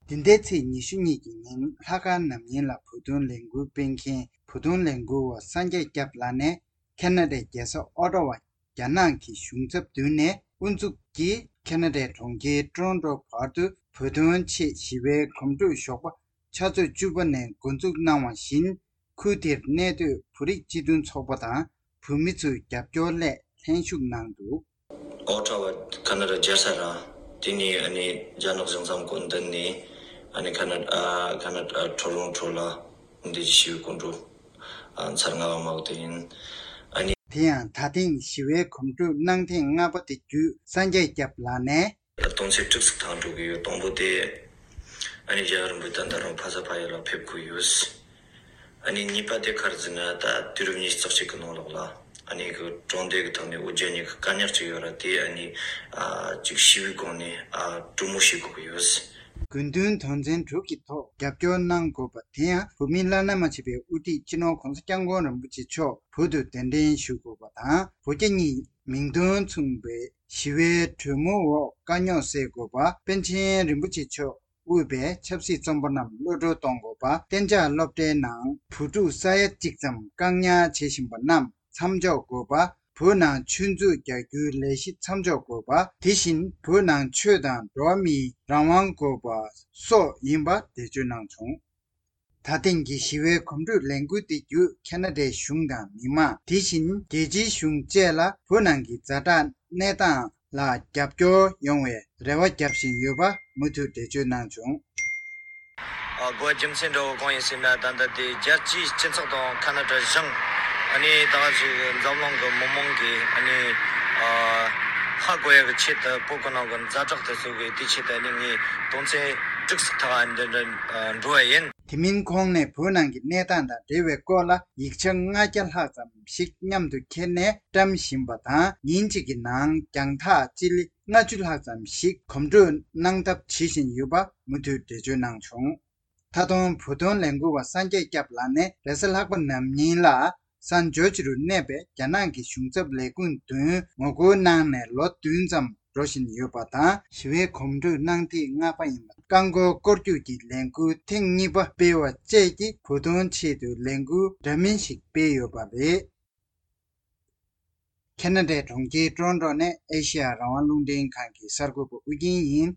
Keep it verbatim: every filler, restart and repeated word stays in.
འདི་ཟླའི་ཚེས་ཉི་ཤུ་གཉིས་ཀྱི་ཉིན་ལྷག་དཀར་ནམ་ཡིན་ལ་བོད་དོན་ལས་འགུལ་སྤེལ་མཁན་བོད་དོན་ལས་འགུལ་བ་སངས་རྒྱས་སྐྱབས་ལགས་ནས་ཁ་ན་ཌའི་རྒྱལ་ས་ཨོ་ཊ་ཝ་རྒྱ་ནག་གི་གཞུང་ཚབ་མདུན་ནས་དབུ་འཛུགས་ཀྱིས་ཁ་ན་ཌའི་གྲོང་ཁྱེར་ཀྲོན་ཊོ་བར་དུ་བོད་དོན་ཆེད་ཞི་བའི་གོམ་བགྲོད་ཞོགས་པ་ཆུ་ཚོད་བཅུ་པ་ནས་འགོ་འཛུགས་གནང་བ་བཞིན། ཁུལ་དེར་གནས་སྡོད་བོད་རིགས་སྤྱི་མཐུན་ཚོགས་པ་དང་བོད་མི་ཚོའི་རྒྱབ་སྐྱོར་སླད་ལྷན་ཞུགས་གནང་འདུག། ཨོ་ཊ་ཝ་ཁ་ན་ཌ་རྒྱལ་ས་ར། དེ་ནས་ཨ་ནི་རྒྱ་ནག་གཞུང་ཚབ་སྐུ་མདུན་ནས་ཨ་ནི་ཁ་ན་ཨ་ཁ་ན་ཨ་ཀྲོན་ཊོ་ལ་འདི་ཞི་བའི་གོམ་བགྲོད་ཨ་ཚར་ལྔ་པ་མ་འོ་དེ་ཡིན། ཨ་ནི། དེ་ཡང་ད་ཐེངས་ཞི་བའི་གོམ་བགྲོད་གནང་ཐེངས་ལྔ་པ་དེ་བརྒྱུད་སངས་རྒྱས་སྐྱབས་ལགས་ནས། དོན་ཚན་དྲུག་ཙམ་ཐག་འགྲོ་གི་ཡོད། དང་པོ་དེ་ཨ་ནི་རྒྱལ་བ་རིན་པོ་ཆེ་ད་ལྟ་རང་ཕ་ས་ཕ་ཡུལ་ལ་ཕེབས་དགོས་ཡོད། ཨ་ནི་གཉིས་པ་དེ་ག་རེ་ཟེར་ན་ད་དུས་རབས་ཉི་ཤུ་རྩ་གཅིག་གི་ནང་ལོགས་ལ་ཨ་ནི་གི་གྲོང་སྡེ་གི་ཐོག་ནས་འུ་ཅག་གཉིས་ཀྱི་དཀའ་རྙོག་ཅིག་ཡོད་ར། དེ་ཨ་ནི་ཨ་ཅིག་ཞི་བའི་སྒོ་ནས་ཨ་གྲོས་མོལ་བྱེད་དགོས་ཀྱི་ཡོད། དགོས་འདུན་དོན་ཚན་དྲུག་གི་ཐོག་རྒྱབ་སྐྱོར་གནང་དགོས་པ་དེ་ཡང་བོད་མིའི་བླ་ན་མ་མཆིས་པའི་དབུ་ཁྲིད་སྤྱི་ནོར་༸གོང་ས་༸སྐྱབས་མགོན་རིན་པོ་ཆེ་མཆོག་བོད་དུ་གདན་འདྲེན་ཞུ་དགོས་པ་དང་བོད་རྒྱ་གཉིས་མིང་དོན་མཚུངས་པའི་ཞི་བའི་གྲོས་མོལ་འོག་དཀའ་རྙོག་སེལ་དགོས་པ། པཎ་ཆེན་རིན་པོ་ཆེ་མཆོག་དབུས་པའི་ཆབ་སྲིད་བཙོན་པ་རྣམས་གློད་བཀྲོལ་གཏོང་དགོས་པ། གཏན་འཇགས་སློབ་གྲྭའི་ནང་བོད་ཕྲུག་ས་ཡ་གཅིག་ཙམ་བཀག་ཉར་བྱེད་བཞིན་པ་རྣམས་མཚམས་འཇོག་དགོས་པ། བོད་ནང་ཆོས་མཛོད་རྒྱག་རྒྱུའི་ལས་གཞི་མཚམས་འཇོག་དགོས་པ། དེ་བཞིན་བོད་ནང་ཆོས་དང་འགྲོ་བ་མིའི་རང་དབང་དགོས་པ་སོགས་ཡིན་པ་འགྲེལ་བརྗོད་གནང་བྱུང་། ད་ཐེངས་ཀྱི་ཞི་བའི་གོམ་བགྲོད་ལས་འགུལ་དེ་བརྒྱུད་ཁ་ན་ཌའི་གཞུང་དང་མི་མང་དེ་བཞིན་རྒྱལ་སྤྱིའི་གཞུང་བཅས་ལ་བོད་ནང་གི་ཛ་དྲག་གནས་སྟངས་ལ་རྒྱབ་སྐྱོར་ཡོང་བའི་རེ་བ་བརྒྱབ་བཞིན་ཡོད་པ་མུ་མཐུད་འགྲེལ་བརྗོད་གནང་བྱུང་། ཨ་དགོས་རྒྱུ་མཚན་འདྲ་བོ་གང་ཡིན་ཟེར་ན། ད་ལྟ་དེ་རྒྱལ་སྤྱིའི་སྤྱི་ཚོགས་དང་ཁ་ན་ཌ་གཞུང་ཨ་ནི་ད་ག་ཅིག་འཛམ་གླིང་གི་མི་མང་གིས་ཨ་ནི་ཨ་ཧ་གོ་ཡ་གི་ཆེད་དུ་བོད་ཀྱི་ནང་གི་ཛ་དྲག་དེ་ཚོ་གི་དེ་ཆེད་དུ་ཨ་ནི་ངས་དོན་ཚན་དྲུག་ཙམ་ཐག་ཨ་ནི་འདི་འདྲ་འགྲོ་བ་ཡིན། དེ་མིན་ཁོང་ནས་བོད་ནང་གི་གནས་སྟངས་དང་འབྲེལ་བའི་སྐོར་ལ་ཡིག་ཆ་ལྔ་བརྒྱ་ལྷག་ཙམ་ཞིག་མཉམ་དུ་ཁྱེར་ནས་བཀྲམ་བཞིན་པ་དང་། ཉིན་གཅིག་གི་ནང་རྒྱང་ཐག་སྤྱི་ལེ་ལྔ་བཅུ་ལྷག་ཙམ་ཞིག་གོམ་བགྲོད་གནང་ཐབས་བྱེད་བཞིན་ཡོད་པ་མུ་མཐུད་འགྲེལ་བརྗོད་གནང་བྱུང་། ད་དུང་བོད་དོན་ལས་འགུལ་བ་སངས་རྒྱས་སྐྱབས་ལགས་ནས་རེས་གཟའ་ལྷག་པ་ནམ་ཉིན་ལ་སན་ཇོར་ཇི་རུ་གནས་པའི་རྒྱ་ནག་གི་གཞུང་ཚབ་ལས་ཁུངས་མདུན་ངོ་རྒོལ་གནང་ནས་ལོ་བདུན་ཙམ་འགྲོ་བཞིན་ཡོད་པ་དང་། ཞི་བའི་གོམ་བགྲོད་གནང་ཐེངས་ལྔ་པ་ཡིན་པ། རྐང་འཁོར་སྐོར་རྒྱུག་གི་ལས་འགུལ་ཐེངས་གཉིས་པ་སྤེལ་བ་བཅས་ཀྱིས་བོད་དོན་ཆེད་དུ་ལས་འགུལ་འདྲ་མིན་ཞིག་སྤེལ་ཡོད་པ་རེད། ཁ་ན་ཌའི་གྲོང་ཁྱེར་ཀྲོན་ཀྲོ་ནས་ཨེ་ཤེ་ཡ་རང་དབང་རླུང་འཕྲིན་ཁང་གི་གསར་འགོད་པ་ཨུ་རྒྱན་ཡིན།